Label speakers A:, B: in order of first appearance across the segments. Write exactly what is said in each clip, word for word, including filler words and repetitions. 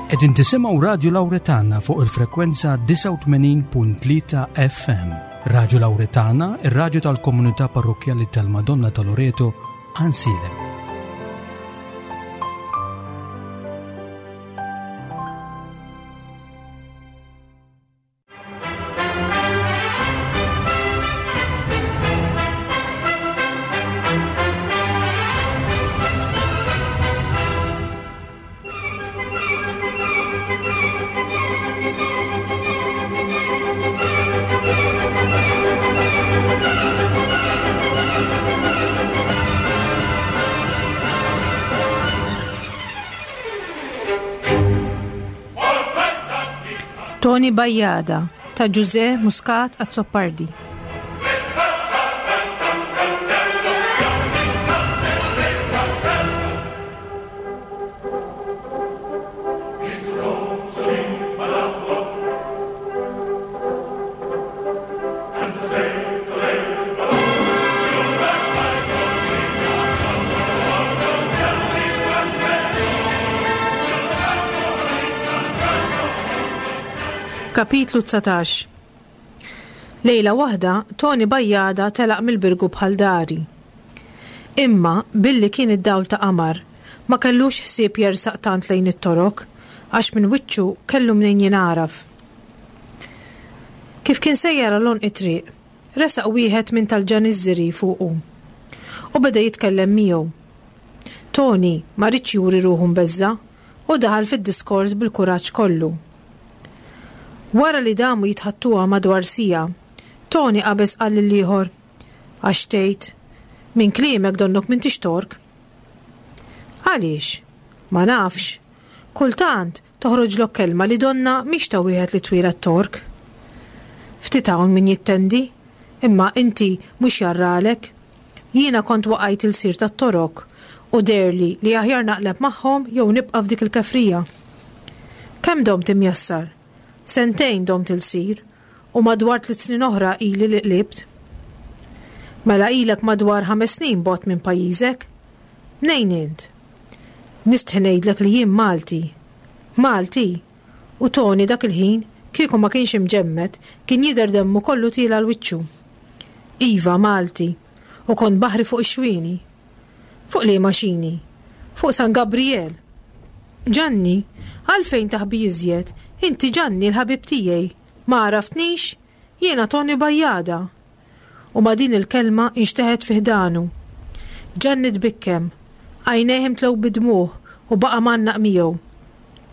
A: Qegħdin tisimgħu Radju Lawretana fuq il-frekwenza disgħa u tmenin punt tlieta F M. Radju Lawretana, ir-radju tal-komunità parrokkjali tal-Madonna ta' Loreto, Għajnsielem.
B: Toni Bajada ta' Ġużè Muscat Azzopardi. Kapitlu dsatax. Lejla waħda, Toni Bajada telaq mill-Birgu bħal dari. Imma, billi kien id-dawl ta' qamar, ma kellux ħsieb jersaq tant lejn it-torok, għax minn wiċċu kellu mnejn jingħaraf. Kif kien sejjer għal għonq it-triq, resaq wieħed minn tal-ġaniżżiri fuqu u beda jitkellem miegħu. Toni ma ridx juri ruħu mbeżza u daħal fid-diskors bil-kuraġġ kollu. Wara li damu jitħattuha madwar sija, Toni qabeż qal lil ieħor, Għax tgħid, minn kliemek donnok m'intix Tork. Għaliex? Ma nafx. Kultant toħroġlok kelma li donna mhix ta' wieħed li twieled Tork. Ftit hawn min jittendi, imma inti mhux jarralek. Jiena kont waqajt il-sir tat-Torok u derli li aħjar naqleb magħhom jew nibqa' f'dik il-kefrija. Kemm domt imjassar? Sentejn domt il-sir u madwar tliet snin oħra ili li qlibt. Mela ilek madwar ħames snin bogħod minn pajjiżek? Mnejn int? Nistħi ngħidlek li jien Malti. Malti? U Toni dak il-ħin, kieku ma kienx imġemmed, kien jidher demmu kollu tiela l-wiċċu. Iva, Malti, u kont baħri fuq ix-xwieni. Fuq liema xini? Fuq San Gabriel. Ġanni, għalfejn taħbi iżjed? Inti Ġanni l-ħabib tiegħi. Ma għaraftnix? Jiena Toni Bajada. U ma din il-kelma inxteħet fi ħdanu. Ġanni tbikkem, għajnejh imtlew bidmuh u baqa' mannaq miegħu.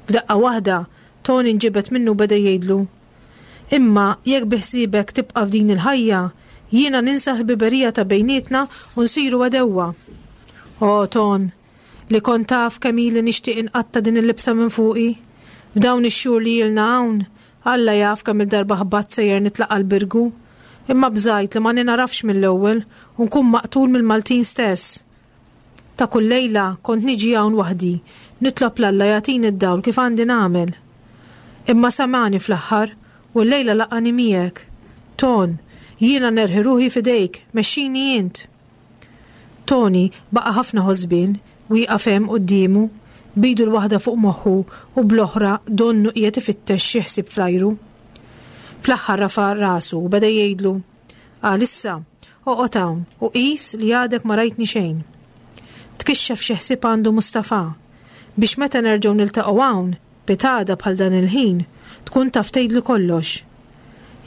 B: F'daqqa waħda, Toni nġibed minnu beda jgħidlu, Imma jekk biħsiebek tibqa' f'din il-ħajja, jiena ninsa l-ħbiberija ta' bejnietna u nsiru għadewwa. O, Ton, li kont taf kemm ili nixtieq inqatta' din il-libsa minn fuqi. F'dawn ix-xhur li ilna hawn, Alla jaf kemm il-darba ħbatt sejjer nitlaq għall-Birgu, imma bżajt li ma ninarafx mill-ewwel u nkun maqtul mill-Maltin stess. Ta' kull lejla kont niġi hawn waħdi, nitlob l-Alla jagħtini d-dawl kif għandi nagħmel. Imma samani fl-aħħar u l-lejla laqani miegħek. Ton, jiena nerħi ruħi f'idejk, mexxini int. Toni baqa' ħafna ħosbien, wieqaf hemm quddiemu, bidu l-waħda fuq moħħu u bl-oħra donnu qiegħed ifittex xi ħsieb fl-ajru. Fl-aħħar rafa' rasu u beda jgħidlu, Għalissa, oqgħod hawn u qis li għadek ma rajtni xejn. Tkixxef xi ħsieb għandu Mustafa biex meta nerġgħu niltaqgħu hawn, pitada bħal dan il-ħin, tkun taf tgħidli kollox.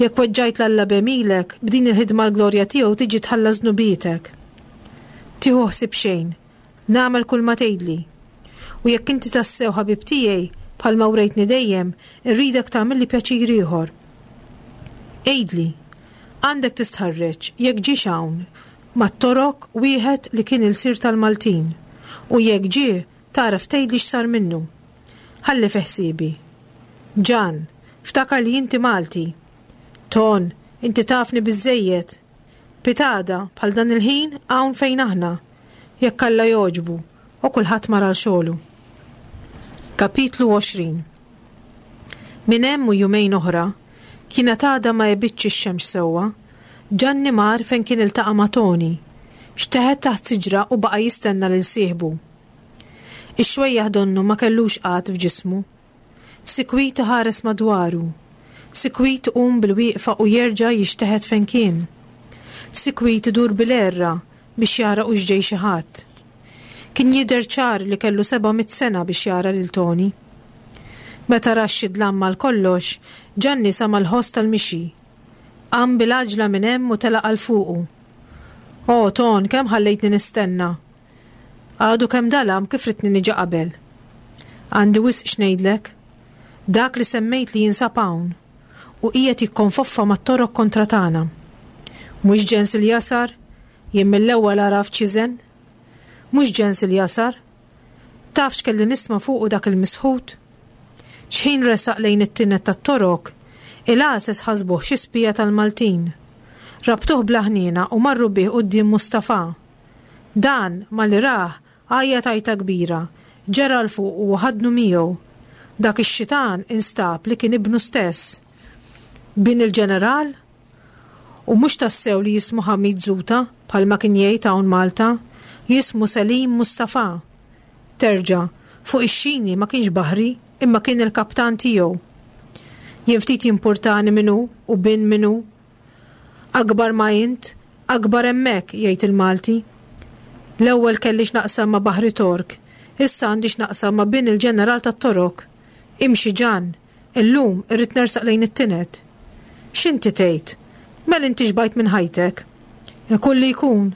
B: Jekk weġġajt l-Alla b'għemilek, b'din il-ħidma l-glorja tiegħu tiġi tħallas dnubietek. Tieħu ħsieb xejn, nagħmel kull ma tgħidli. U jekk inti tassew ħabib tiegħi, bħalma wrejtni dejjem, irridek tagħmilli pjaċir ieħor. Għidli, għandek tistħarreġ jekk ġiex hawn mat-Torok wieħed li kien il-sir tal-Maltin, u jekk ġie tagħraf tgħidli x'sar minnu. Ħalli fi ħsiebi. Ġan, ftakar li inti Malti. Ton, inti tafni biżżejjed. Pitada bħal dan il-ħin hawn fejn aħna, jekk Alla jogħġbu, u kulħadd mar għal xogħlu. Kapitlu għoxrin. Minn hemm u jumejn oħra, kienet għadha ma jebitx ix-xemx sewwa, Ġanni mar fejn kien iltaqa' ma' Toni, xteħet taħt siġra u baqa' jistenna lil sieħbu. Ix-xwejjaħ donnu ma kellux qatt f'ġismu. Sikwit iħares madwaru. Sikwit iqum bil-wieqfa u jerġa' jixteħet fejn kien. Sikwit idur bil-għerra biex jara hux ġej xi ħadd. Kien jidher ċar li kellu seba' mitt sena biex jara lil Toni. Meta ra x-dlam għal kollox, Ġanni sama' l-ħoss tal-mixi. Qam bil-għaġla minn hemm u telaq għal fuqu. O, Ton, kemm ħallejtni nistenna? Għadu kemm dalam kif ridtni niġi qabel. Għandi wisq x'ngħidlek. Dak li semmejt li jinsab hawn u qiegħed jikkonfoffa mat-Torok kontra tagħna. Mhux ġens il-jasar, jien mill-ewwel għaraft x'iżen. Mhux ġens il-jasar. Taf x'kelli nisma' fuqu dak il-misħut? X'ħin resaq lejn it-tined tat-Torok, il-għases ħasbuh xi spija tal-Maltin. Rabtuh bla ħniena u marru bih quddiem Mustafa. Dan, malli rah, għajjat għajta kbira, ġera 'l fuqu u ħadnu miegħu. Dak ix-xitan instab li kien ibnu stess. Bin il-ġeneral? U mhux tassew li jismu Hamid Zuta, bħalma kien jgħid hawn Malta, jismu Selim Mustafa. Terġa', fuq ix-xini ma kienx baħri, imma kien il-kaptan tiegħu. Jien ftit jimpurtani min hu u bin min hu. Akbar ma int, akbar hemmhekk, jgħid il-Malti. L-ewwel kelli x'naqsam ma' Baħri Tork, issa għandi x'naqsam ma' bin il-ġeneral tat-Torok. Imxi Ġan, illum irrid nersaq lejn it-tined. X'inti tgħid? Mela inti xbajt minn ħajtek. Ikun li jkun,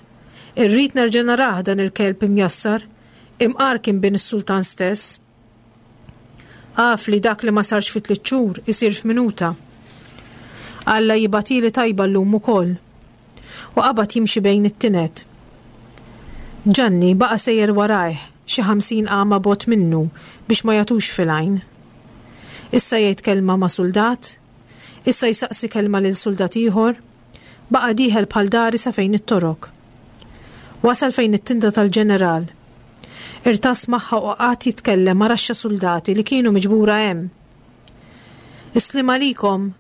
B: irrid nerġa' narah dan il-kelb imjassar, imqar kien bin is-sultan stess. Af li dak li ma sarx fi tliet xhur isir f'minuta. Alla jibgħathieli tajba llum ukoll. U qabad jimxi bejn it-tined. Ġanni baqa' sejjer warajh xi ħamsin qama bogħod minnu biex ma jagħtux fil-għajn. Issa jgħid kelma ma' suldat, issa jsaqsi kelma lil suldat ieħor, baqa' dieħel bħal dari sa fejn it-Torok. Wasal fejn it-tinda tal-ġeneral. Irtas magħha u qagħad jitkellem ma' raxxa suldati li kienu miġbura hemm. Is-sliem għalikom,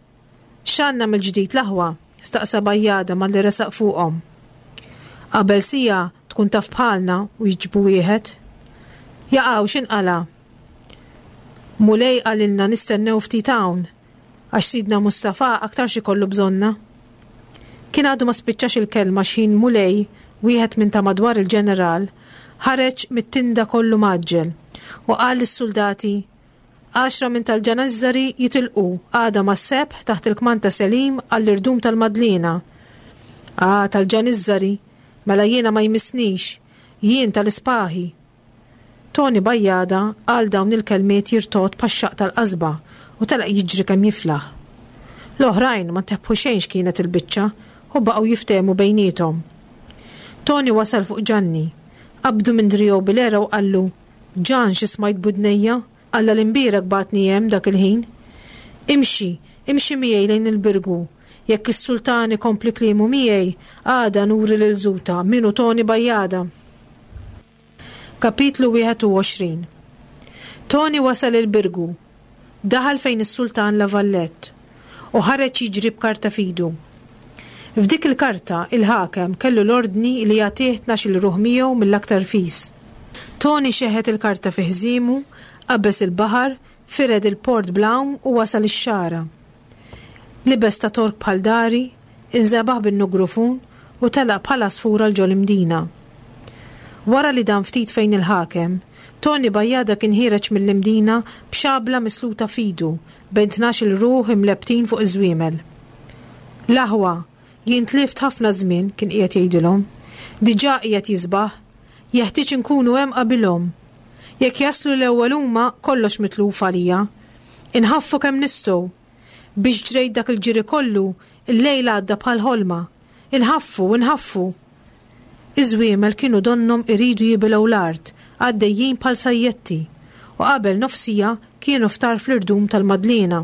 B: x'għandna mill-ġdid l-aħwa? Staqsa Bajjada malli resaq fuqhom. Qabel sija tkun taf bħalna u jiġbu wieħed. Jaqaw x'inqala? Mulej qalilna nistennew ftit hawn, għax sidna Mustafa aktarx ikollu bżonna. Kien għadu ma spiċċax il-kelma x'ħin Mulej, wieħed minn ta' madwar il-ġeneral, ħareġ mit-tinda kollu mgħaġġel u qal lis-suldati, għaxra minn tal-ġanazzari jitilqu għada mas-sebħ taħt il-kmand ta' Selim għall-irdum tal-Madlina. Ah, tal-ġanizzari, mela jiena ma jmissnix, jien tal-ispaħi. Toni Bajjada qal dawn il-kelmiet jirtogħod bħax-xaqq tal-qasba u telaq jiġri kemm jiflaħ. L-oħrajn ma ntebħu xejn x'kienet il-biċċa u baqgħu jiftehmu bejniethom. Toni wasal fuq Ġanni, qabdu minn driegħu bil-għera u qallu, Ġan xi smajt b'widnejja, Alla l-imbierek bagħatni hemm dak il-ħin. Imxi, imxi miegħi lejn il-Birgu. Jekk is-sultan ikompli kliemu miegħi, għada nuri lil Zuta min hu Toni Bajjada. Kapitlu wieħed u għoxrin. Toni wasal il-Birgu, daħal fejn is-sultan La Vallette u ħareġ jiġri b'karta f'idu. F'dik il-karta il-ħakem kellu l-ordni li jagħtih tnax-il ruħ miegħu mill-aktar fis. Toni xeħet il-karta fi ħżiemu, qabeż il-baħar, fired il-port bl-għawm u wasal ix-xagħra. Libes ta' Tork bħal dari, inżebaħ bin-nugrufun u telaq bħal għasfura 'l ġol-Imdina. Wara li dam ftit fejn il-ħakem, Toni Bajjada kien ħiereġ mill-Imdina b'xabla misluta f'idu bejn tnax-il ruħ imlebbtin fuq iż-żwiemel. L-aħwa, jien tlift ħafna żmien, kien qiegħed jgħidilhom. Diġà qiegħed jisbaħ, jeħtieġ inkunu hemm qabilhom. Jekk jaslu l-ewwel huma, kollox mitluf għalija. Inħaffu kemm nistgħu. Biex ġrejt dak il-ġiri kollu, il-lejl għadda bħal ħolma. Inħaffu, inħaffu. Iż-żwiemel kienu donnhom iridu jibilgħu l-art, għaddejjin bħal sajjetti, u qabel nofsija kienu f'tarf l-irdum tal-Madliena.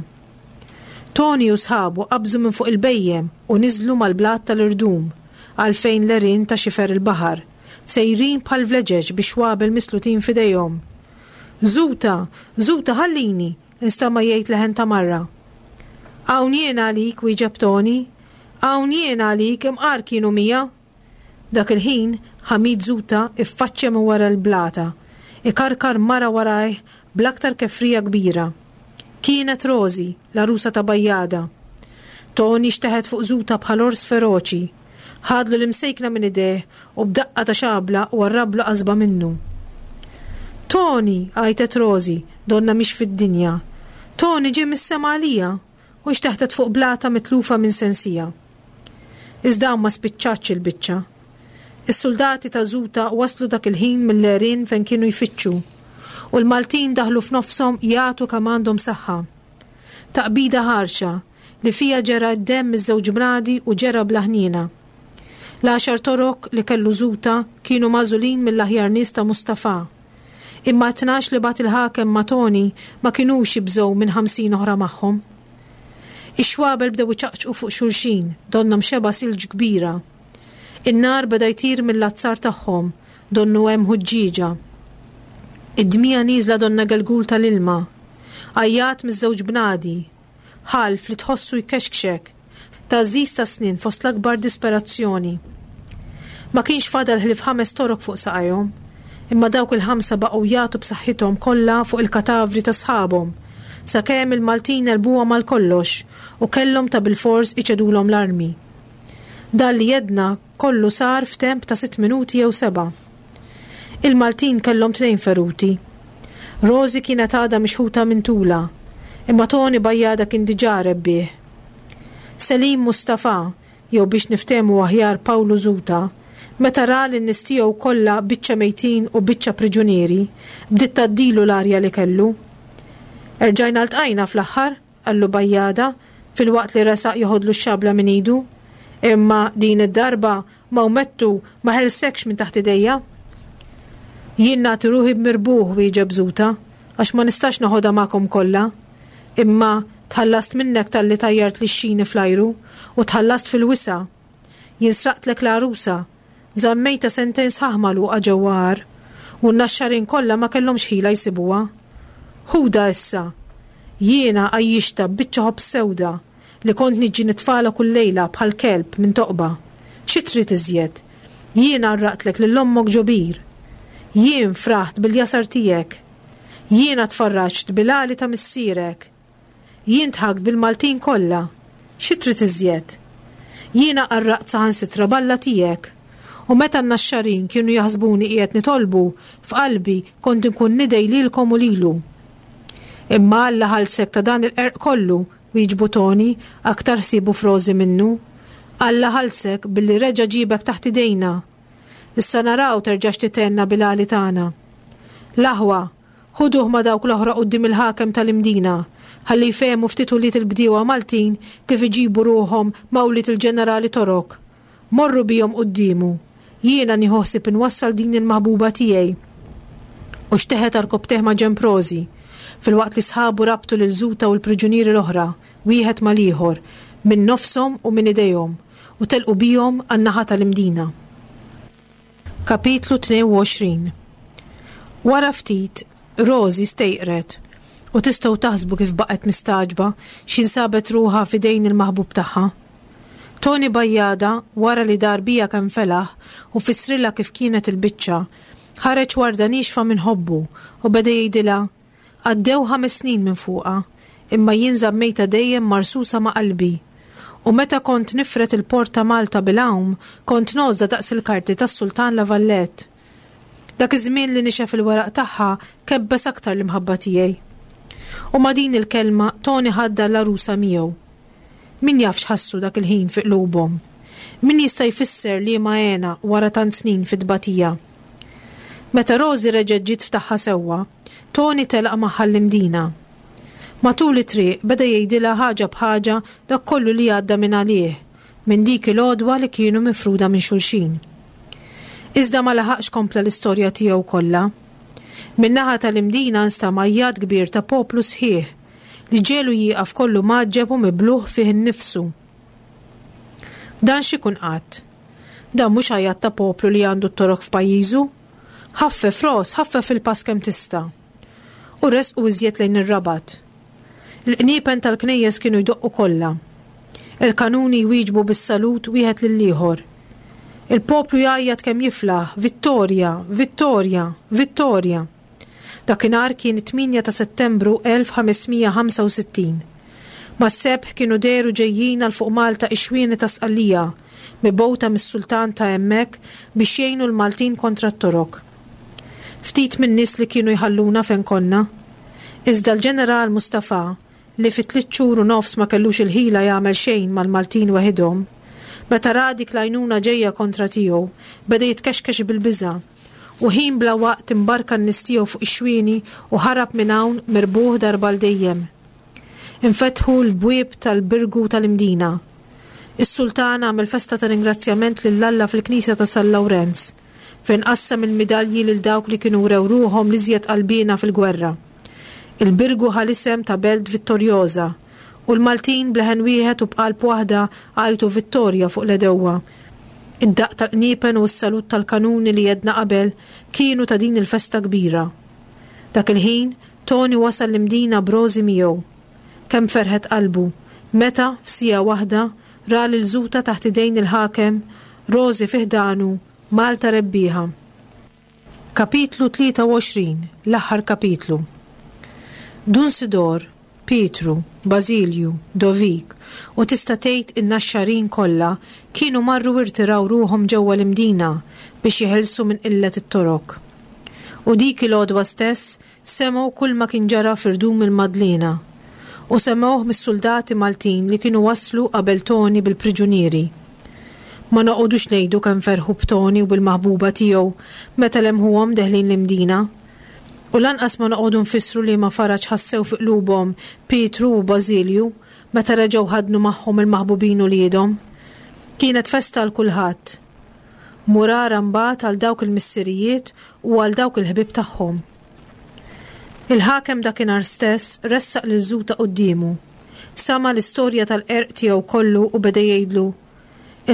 B: Toni u sħabu qabżu minn fuq il-bejjem u niżlu mal-blat tal-irdum, għal fejn l-għerien ta' xifer il-baħar, sejrin bħal vleġeġ bi xwabel mislutin f'idejhom. Zuta, Zuta, ħallini, instama' jgħid leħen ta' marra. Hawn jien għalik, wieġeb Toni. Hawn jien għalik, imqar kienu mija. Dak il-ħin, Hamid Zuta iffaċċja minn wara l-blata, ikarkar mara warajh bl-aktar kefrija kbira. Kienet Rożi, l-għarusa ta' Bajjada. Toni xteħet fuq Żuta bħal ors feroċi. Ħadlu l-imsejkna minn idejh u b'daqqa ta' xabla warrablu qasba minnu. Toni! għajtet Rożi, donnha mhix fid-dinja. Toni ġie mis-sema għalija! U xteħtet fuq blata mitlufa minn sensiha. Iżda hawn ma spiċċatx il-biċċa. Is-suldati ta' Żuta waslu dak il-ħin mill-għerien fejn kienu jfittxu, u l-Maltin daħlu f'nofshom jagħtu kemm għandhom saħħa. Taqbida ħarxa li fiha ġera d-demm miż-żewġ bnadi u ġera bla ħniena. L-għaxar torok li kellu Żuta kienu magħżulin mill-aħjar nies ta' Mustafà. Imma t-tnax li bagħat il-ħakem ma' Toni ma kinux jibżgħu minn ħamsin oħra magħhom. Ix-xwabel bdew iċaqċqu fuq xulxin, donnhom xebgħa silġ kbira. In-nar beda jtir mill-azzar tagħhom, donnu hemm ħuġġieġa. Id-dmija nieżla donna gelgul tal-ilma. Għajjat miż-żewġ bnadi. Ħalf li tħossu jkexkxek. Tgħażżiż ta' snien fost l-akbar disperazzjoni. Ma kienx fadal ħlief ħames torok fuq saqajhom, imma dawk il-ħamsa baqgħu jagħtu b'saħħithom kollha fuq il-katavri ta' sħabhom, sakemm il-Maltin għelbuhom għal kollox u kellhom ta' bilfors iċedulhom l-armi. Dan li jedna kollu sar f'temp ta' sitt minuti jew seba'. Il-Maltin kellhom tnejn feruti. Rożi kienet għadha mixħuta minn tulha, imma Toni Bajjada kien diġà rebbieħ. Selim Mustafà, jew biex niftehmu aħjar Pawlu Żuta, meta ra lin-nies tiegħu kollha biċċa mejtin u biċċa priġunieri, bdiet tgħaddilu l-arja li kellu. Erġajna ltqajna fl-aħħar, qallu Bajjada, filwaqt li resaq joħodlu x-xabla minn idu. Imma din id-darba Mawmettu ma ħelsekx minn taħt idejja. Jien nagħti ruħi b'mirbuħ, wieġeb Żuta, għax ma nistax noħodha magħkom kollha. Imma tħallast minnek talli tajjart lix-xini fl-ajru u tħallast fil-wisa'. Jien sraqtlek l-għarusa, żammejtha sentejn sħaħ magħluqa ġewwa għar, u n-naxxarin kollha ma kellhomx ħila jsibuha. Ħudha issa. Jiena għajjixtha b'biċċa ħobż sewda li kont niġi nitfagħlha kull lejla bħal kelb minn toqba. Xi trid iżjed? Jiena għarraqtlek lil ommok ġo bir. Jien fraħt bil-jasar tiegħek. Jiena tfarraġt bil-għali ta' missierek. Jien dħakt bil-Maltin kollha. Xi trid iżjed? Jiena qarraqt saħansitra b'Alla tiegħek. U meta n-Naxxarin kienu jaħsbuni qiegħed nitolbu, f'qalbi kont inkun nidgħi lilkom u lilu. Imma Alla ħallsek ta' dan il-qerq kollu, wieġbu Toni, aktar ħsiebu f'Rożi minnu. Alla ħallsek billi reġa' ġibek taħt idejna. Issa naraw terġax titenna bil-għali tagħna. L-aħwa, ħuduh ma' dawk l-oħra quddiem il-ħakem tal-Imdina, ħalli jfehmu ftit ulied il-bdiewa Maltin kif iġibu ruħhom ma' ulied il-ġenerali Torok. Morru bihom quddiemu. Jiena nieħu ħsieb inwassal din il-maħbuba tiegħi. U xteħet għarkopptejh ma' ġenb Rożi, filwaqt li sħabu rabtu lil Żuta u l-priġunieri l-oħra, wieħed mal-ieħor, minn nofshom u minn idejhom, u telqu bihom għan-naħa tal-Imdina. Kapitlu tnejn u għoxrin Wara ftit, Rożi stejqret, u tistgħu taħsbu kif baqgħet mistagħġba x'ħin sabet ruħha f'idejn il-maħbub tagħha. Toni Bajjada, wara li dar biha kemm felaħ u fissrilha kif kienet il-biċċa, ħareġ warda niexfa minn ħobbu u beda jgħidilha, Għaddew ħames snin minn fuqha, imma jien żammejtha dejjem marsusa ma' qalbi. U meta kont nifred il-port ta' Malta bil-għawm, kont ngħożżha daqs il-karti tas-Sultan La Valette. Dak iż-żmien li nixef il-weraq tagħha kebbes aktar l-imħabba tiegħi. U ma' din il-kelma Toni ħadda l-għarusa miegħu. Min jaf x'ħassu dak il-ħin fi qlubhom? Min jista' jfisser liema hena wara tant snin fit-tbatija? Meta Rożi reġgħet ġiet f'tagħha sewwa, Toni telaq magħha l-Imdina. Matul it-triq beda jgħidilha ħaġa b'ħaġa dak kollu li għadda minn għalih, minn dik il-għodwa li kienu mifruda minn xulxin. Iżda ma laħaqx kompla l-istorja tiegħu kollha. Min-naħa tal-Imdina nstama' għajjat kbir ta' poplu sħiħ li ġiegħlu jieqaf kollu mgħaġġeb u mibluh fih innifsu. Dan x'ikun qatt? Dan mhux għajjat ta' poplu li għandu t-torok f'pajjiżu? Ħaffef, Ros, ħaffef il-pass kemm tista'. U resqu iżjed lejn ir-Rabat. Il-qniepen tal-knejjes kienu jdoqqu kollha. Il-kanuni jwieġbu bis-salut wieħed lill-ieħor. Il-poplu jgħajjat kemm jiflaħ, Vittorja! Vittorja! Vittorja! Dakinhar kien it-tmienja ta' Settembru elf ħames mija ħamsa u sittin. Mas-sebħ kienu dehru ġejjin għal fuq Malta ix-xwieni ta' Sqallija, mibgħuta mis-sultan ta' hemmhekk biex jgħinu l-Maltin kontra t-Torok. Ftit minn nies li kienu jħalluna fejn konna. Iżda l-ġeneral Mustafa, li fi tliet xhur u nofs ma kellux il-ħila jagħmel xejn mal-Maltin weħidhom, meta ra dik l-għajnuna ġejja kontra tiegħu, beda jitkexkex bil-biża' u ħin bla waqt imbarka n-nies tiegħu fuq ix-xwieni u ħarab minn hawn mirbuħ darba għal dejjem. Infetħu l-bwieb tal-Birgu tal-Imdina. Is-sultan għamel festa ta' ringrazzjament lil Alla fil-Knisja ta' San Lawrenz, fejn qassam il-midalji lil dawk li kienu wrew ruħhom l-iżjed qalbina fil-gwerra. Il-Birgu ħa l-isem ta' Belt Vittorjosa u l-Maltin bleħen wieħed u b'qalb waħda għajtu vittorja fuq l-għedewwa. Id-daqq tal-qniepen u s-salut tal-kanuni li għedna qabel kienu ta' din il-festa kbira. Dak il-ħin, Tony wasal l-Imdina b'Rosi miegħu. Kemm ferħet qalbu, meta f'siegħa waħda ra lil Zuta taħt idejn il-ħakem, Rosi fi ħdanu, Malta rebbieħa. Kapitlu tlieta u għoxrin, l-aħħar kapitlu. Dun Sidor, Pietru, Bażilju, Dovik u tista' tgħid in-Naxxarin kollha kienu marru irtiraw ruħhom ġewwa l-Imdina biex jeħilsu minn qillet it-Torok. U dik il-għodwa stess semgħu kull ma kien ġara f'irdum il-Madliena u semgħuh mis-soldati Maltin li kienu waslu qabel Toni bil-priġunieri. Ma noqogħdux ngħidu kemm ferħu b'Toni u bil-maħbuba tiegħu meta lemħuhom deħlin l-Imdina. U lanqas ma noqogħdu nfissru li ma faraġ ħassew fi qlubhom Pietru u Bażilju meta reġgħu ħadnu magħhom il-maħbubin uliedhom. Kienet festa għal kulħadd. Murara mbagħad għal dawk il-missirijiet u għal dawk il-ħbieb tagħhom. Il-ħakem dakinhar stess ressaq lil Zuta quddiemu. Sama l-istorja tal-qerq tiegħu kollu u beda jgħidlu: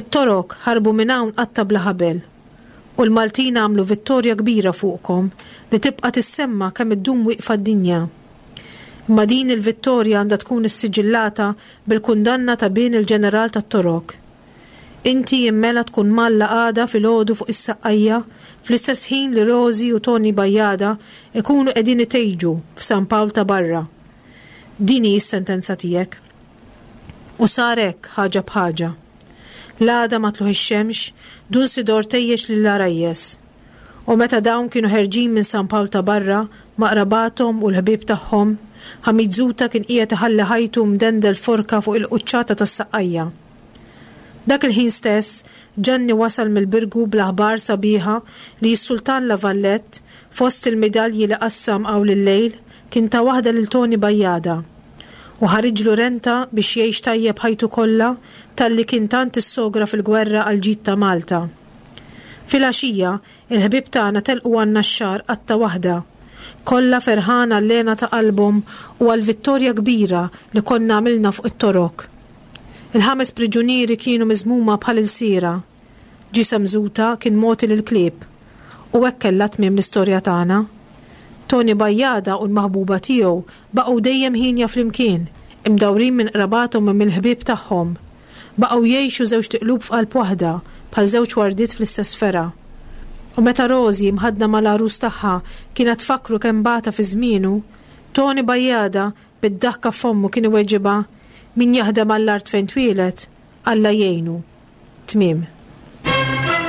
B: "It-Torok ħarbu minn hawn qatta bla ħabel. U l-Maltin għamlu vittorja kbira fuqkom li tibqa' tissemma kemm iddum wieqfa d-dinja. Imma din il-vittorja għandha tkun issiġillata bil-kundanna ta' bin il-ġeneral tat-Torok. Inti immela tkun mgħallaq għada filgħodu fuq is-Saqqajja fl-istess ħin li Rosi u Toni Bajjada ikunu qegħdin itejġu f'San Pawl ta' barra. Din hi s-sentenza tiegħek." U sar hekk ħaġa b'ħaġa. L-għada ma' tlugħ ix-xemx, Dun Sidor tejjex lill-għarajjes. U meta dawn kienu ħerġin minn San Pawl ta' barra ma' qrabathom u l-ħbieb tagħhom, Ħamid Zuta kien qiegħed iħalli ħajtu mdendel forka fuq il-quċċata tas-Saqqajja. Dak il-ħin stess, Ġanni wasal mill-Birgu bl-aħbar sabiħa li s-Sultan La Vallette, fost il-midalji li qassam hawn il-lejl, kien ta waħda lil Toni Bajjada. U ħariġlu renta biex jgħix tajjeb ħajtu kollha talli kien tant issogra fil-gwerra għal ġid ta' Malta. Filgħaxija, il-ħbieb tagħna telqu għan-Naxxar qatta waħda. Kollha ferħana għall-hena ta' qalbhom u għal-vittorja kbira li konna għamilna fuq it-Torok. Il-ħames priġunieri kienu miżmuma bħal ilsiera. Ġisem Zuta kien mogħti lill-klieb. U hekk kellha tmiem l-istorja tagħna. Toni Bajjada u l-maħbuba tiegħu baqgħu dejjem hienja flimkien, imdawrin minn qrabathom u mill-ħbieb tagħhom. Baqgħu jgħixu żewġt iqlub f'qalb waħda bħal żewġ wardiet fl-istess fergħa. U meta Rosi mħaddna mal-għarus tagħha kienet tfakkru kemm bata fi żmienu, Toni Bajjada bid-daħka f'fommu kien iweġibha: "Min jaħdem għall-art fejn twieled, Alla jgħinu." Tmiem.
C: Forza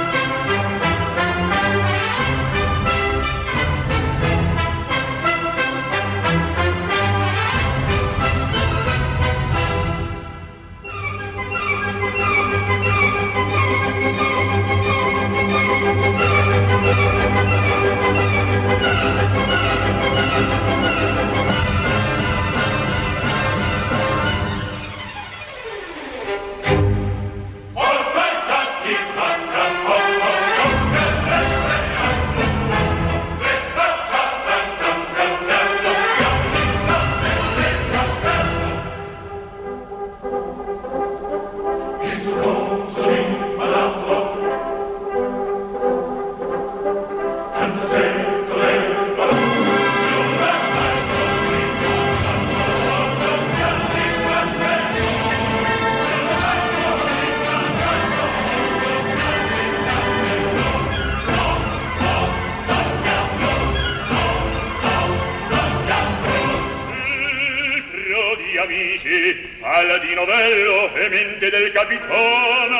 C: Paladino bello e mente del capitan,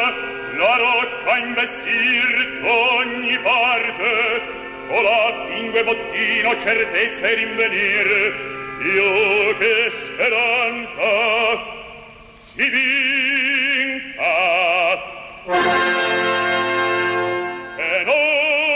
C: la rocca investir d'ogni parte, colà pingue bottino certezza e rinvenir, io che speranza si vinca. È nostro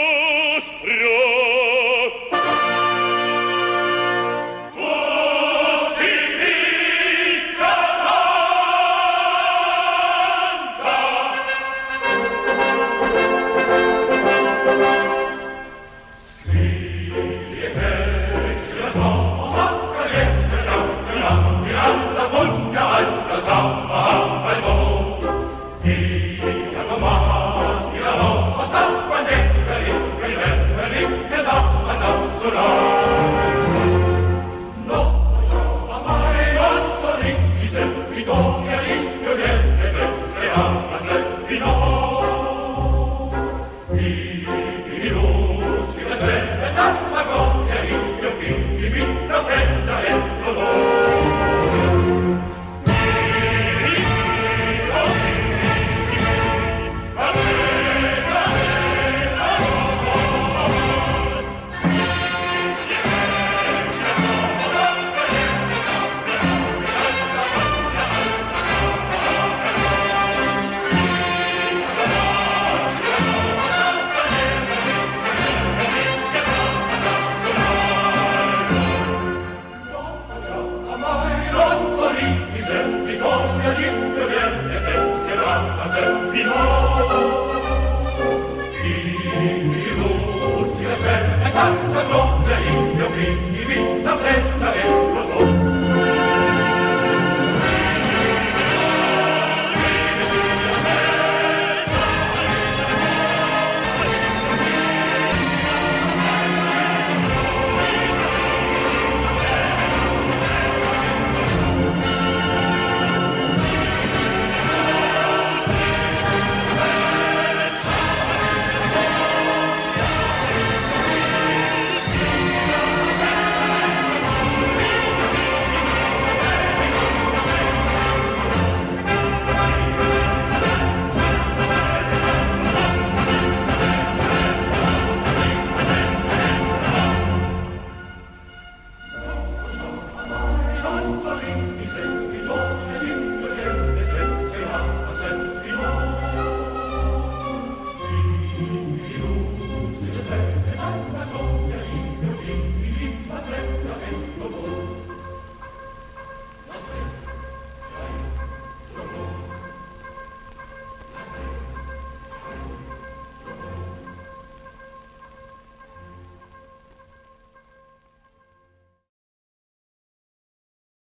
D: Thank you.